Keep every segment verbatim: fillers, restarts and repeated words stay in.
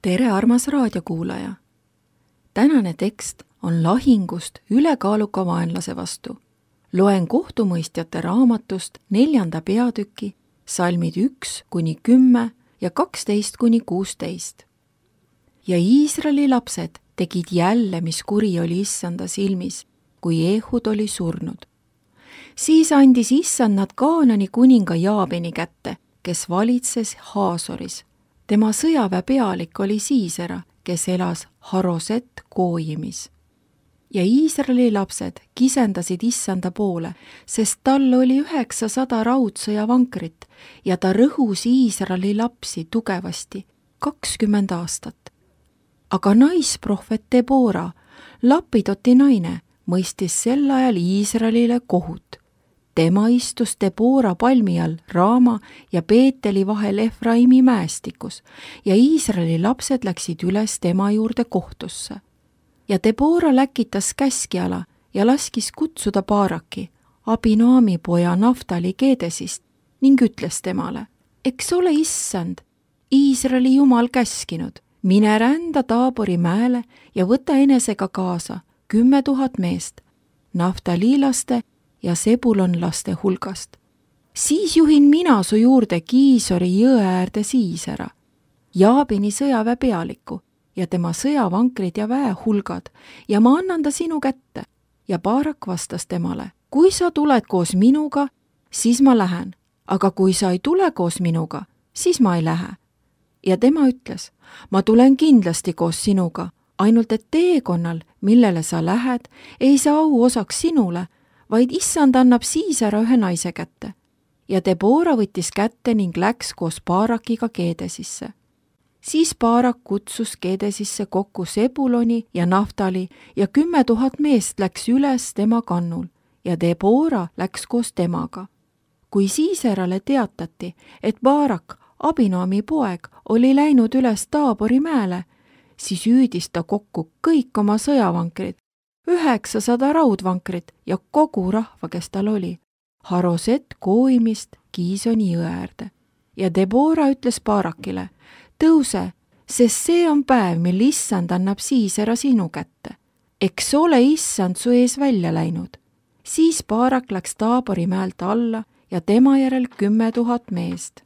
tere, armas raadiokuulaja! Tänane tekst on lahingust ülekaaluka vaenlase vastu. Loen kohtumõistjate raamatust neljanda peatüki, salmid üks kuni kümme ja kaksteist kuni kuusteist. Ja Iisraeli lapsed tegid jälle, mis kuri oli Issanda silmis, kui Ehud oli surnud. Siis andis Issand nad Kaanani kuninga Jaabini kätte, kes valitses Haasoris. Tema sõjaväe pealik oli Siisera, kes elas Haroset Koojimis. Ja Iisraeli lapsed kisendasid Issanda poole, sest tal oli üheksasada raudsõja vankrit ja ta rõhus Iisraeli lapsi tugevasti kakskümmend aastat. Aga naisprohvet Debora, Lapidoti naine, mõistis sel ajal Iisraelile kohut. Tema istus Debora palmi all Raama ja Peeteli vahel Efraimi mäestikus ja Iisraeli lapsed läksid üles tema juurde kohtusse. Ja Debora läkitas käskjala ja laskis kutsuda Baaraki, Abinoami poja Naftali Keedesist, ning ütles temale: eks ole Issand, Iisraeli jumal käskinud, mine rända Taabori mäele ja võta enesega kaasa kümme tuhat meest, naftaliilaste ja sebulonlaste hulgast. Siis juhin mina su juurde Kiisori jõe äärde Siisera, Jaabini sõjaväe pealiku ja tema sõjavankrid ja väehulgad, ja ma annan ta sinu kätte. Ja Baarak vastas temale: kui sa tuled koos minuga, siis ma lähen, aga kui sa ei tule koos minuga, siis ma ei lähe. Ja tema ütles: ma tulen kindlasti koos sinuga, ainult et teekonnal, millele sa lähed, ei saa au osaks sinule, vaid Issand annab Siisera ühe naise kätte. Ja Debora võttis kätte ning läks koos Baarakiga Keedesisse. Siis Baarak kutsus Keedesisse kokku Sebuloni ja Naftali ja kümme tuhat meest läks üles tema kannul ja Debora läks koos temaga. Kui Siiserale teatati, et Baarak, Abinoami poeg, oli läinud üles Taabori mäele, siis hüüdis ta kokku kõik oma sõjavankrid, üheksasada raudvankrit ja kogu rahva, kes tal oli, Haroset Kooimist Kiisoni jõe äärde. Ja Debora ütles Baarakile: tõuse, sest see on päev, mil Issand annab Siisera sinu kätte. Eks ole Issand su ees välja läinud. Siis Baarak läks Taabori mäelt alla ja tema järel kümme tuhat meest.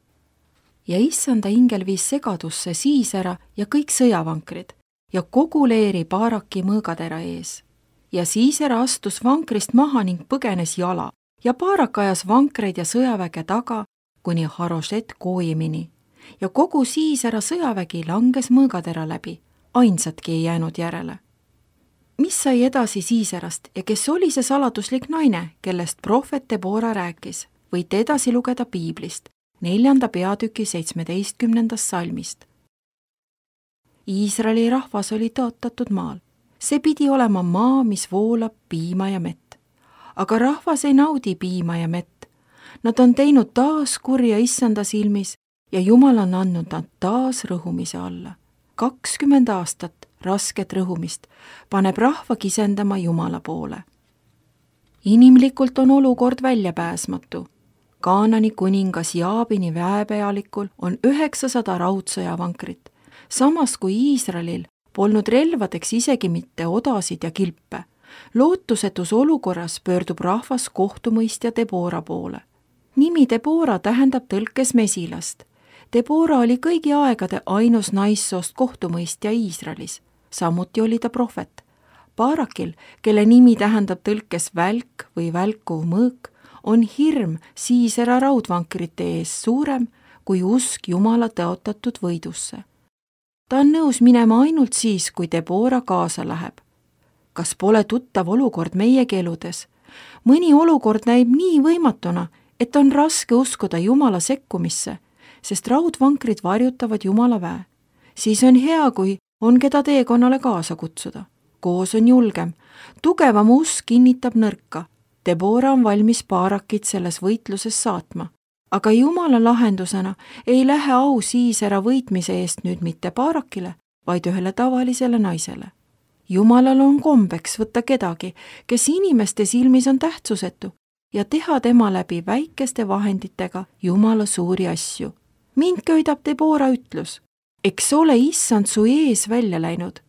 Ja Issanda ingel viis segadusse Siisera ja kõik sõjavankrid ja kogu leeri Baaraki mõõgatera ees. Ja Siisera astus vankrist maha ning põgenes jala ja Baarak ajas vankreid ja sõjaväge taga kuni Haroset Kooimini. Ja kogu Siisera sõjavägi langes mõõgatera läbi, ainsatki ei jäänud järele. Mis sai edasi Siiserast ja kes oli see saladuslik naine, kellest prohvet Debora rääkis, võite edasi lugeda Piiblist, neljanda peatüki seitsmeteistkümnendast salmist. Iisraeli rahvas oli tõotatud maal. See pidi olema maa, mis voolab piima ja mett. Aga rahvas ei naudi piima ja mett. Nad on teinud taas kurja Issanda silmis ja Jumal on andnud nad taas rõhumise alla. kakskümmend aastat rasket rõhumist paneb rahva kisendama Jumala poole. Inimlikult on olukord väljapääsmatu. Kaanani kuningas Jaabini väepealikul on üheksasada raudsõjavankrit, samas kui Iisraelil polnud relvadeks isegi mitte odasid ja kilpe. Lootusetus olukorras pöördub rahvas kohtumõistja Debora poole. Nimi Debora tähendab tõlkes mesilast. Debora oli kõigi aegade ainus naissoost kohtumõistja Iisraelis. Samuti oli ta prohvet. Baarakil, kelle nimi tähendab tõlkes välk või välkuv mõõk, on hirm Siisera raudvankrite ees suurem kui usk Jumala tõotatud võidusse. Ta on nõus minema ainult siis, kui Debora kaasa läheb. Kas pole tuttav olukord meie keeludes? Mõni olukord näib nii võimatuna, et on raske uskuda Jumala sekkumisse, sest raudvankrid varjutavad Jumala väe. Siis on hea, kui on keda teekonnale kaasa kutsuda. Koos on julgem. Tugevam usk kinnitab nõrka. Debora on valmis Baarakit selles võitluses saatma. Aga Jumala lahendusena ei lähe au Siisera võitmise eest nüüd mitte Baarakile, vaid ühele tavalisele naisele. Jumalal on kombeks võtta kedagi, kes inimeste silmis on tähtsusetu ja teha tema läbi väikeste vahenditega Jumala suuri asju. Mind köidab Debora ütlus: eks ole issand su ees välja läinud.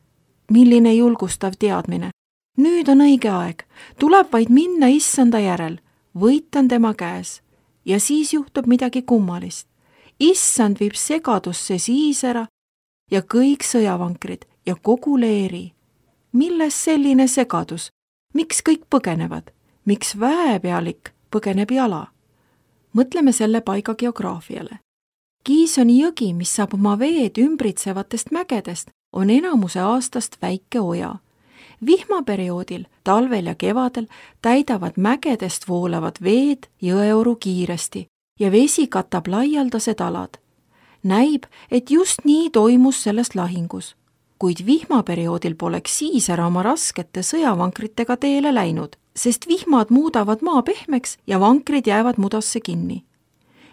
milline julgustav teadmine. nüüd on õige aeg, tuleb vaid minna issanda järel, võit on tema käes ja siis juhtub midagi kummalist. issand viib segadusse Siisera ja kõik sõjavankrid ja kogu leeri. milles selline segadus? Miks kõik põgenevad? Miks väepealik põgeneb jala? Mõtleme selle paiga geograafiale. Kiisoni jõgi, mis saab oma veed ümbritsevatest mägedest, on enamuse aastast väike oja. Vihmaperioodil, talvel ja kevadel täidavad mägedest voolavad veed jõeoru kiiresti ja vesi katab laialdased alad. Näib, et just nii toimus selles lahingus, kuid vihmaperioodil poleks Siisera oma raskete sõjavankritega teele läinud, sest vihmad muudavad maa pehmeks ja vankrid jäävad mudasse kinni.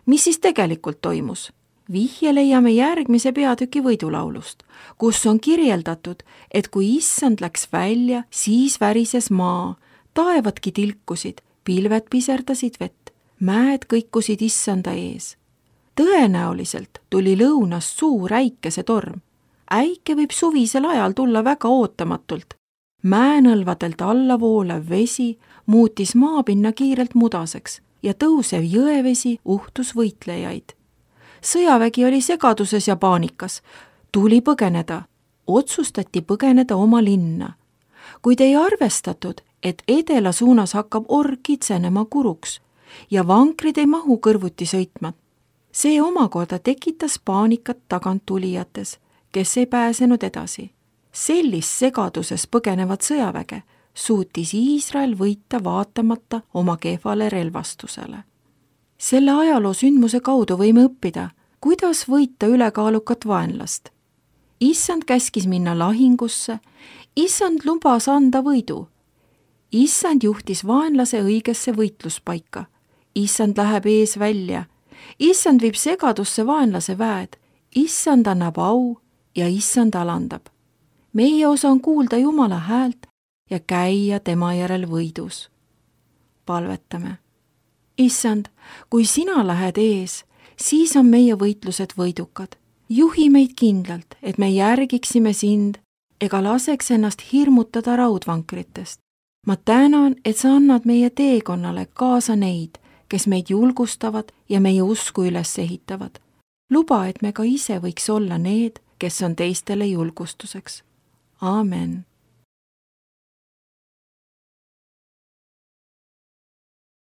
Mis siis tegelikult toimus? Vihje leiame järgmise peatüki võidulaulust, kus on kirjeldatud, et kui issand läks välja, siis värises maa, taevadki tilkusid, pilved piserdasid vett, mäed kõikusid issanda ees. Tõenäoliselt tuli lõunast suur äikesetorm. Äike võib suvisel ajal tulla väga ootamatult. Mäenõlvadelt alla voolev vesi muutis maapinna kiirelt mudaseks ja tõusev jõevesi uhtus võitlejaid. Sõjavägi oli segaduses ja paanikas. Tuli põgeneda. Otsustati põgeneda oma linna. Kuid ei arvestatud, et edela suunas hakkab org kitsenema kuruks ja vankrid ei mahu kõrvuti sõitma. See omakorda tekitas paanikat taganttulijates, kes ei pääsenud edasi. Sellist segaduses põgenevat sõjaväge suutis Iisrael võita vaatamata oma kehvale relvastusele. Selle ajaloo sündmuse kaudu võime õppida, kuidas võita ülekaalukat vaenlast. Issand käskis minna lahingusse, issand lubas anda võidu. Issand juhtis vaenlase õigesse võitluspaika. Issand läheb ees välja. Issand viib segadusse vaenlase väed. Issand annab au ja issand alandab. Meie osa on kuulda Jumala häält ja käia tema järel võidus. Palvetame. Issand, kui sina lähed ees, siis on meie võitlused võidukad. Juhi meid kindlalt, et me järgiksime sind ega laseks ennast hirmutada raudvankritest. Ma tänan, et sa annad meie teekonnale kaasa neid, kes meid julgustavad ja meie usku üles ehitavad. Luba, et me ka ise võiks olla need, kes on teistele julgustuseks. Aamen.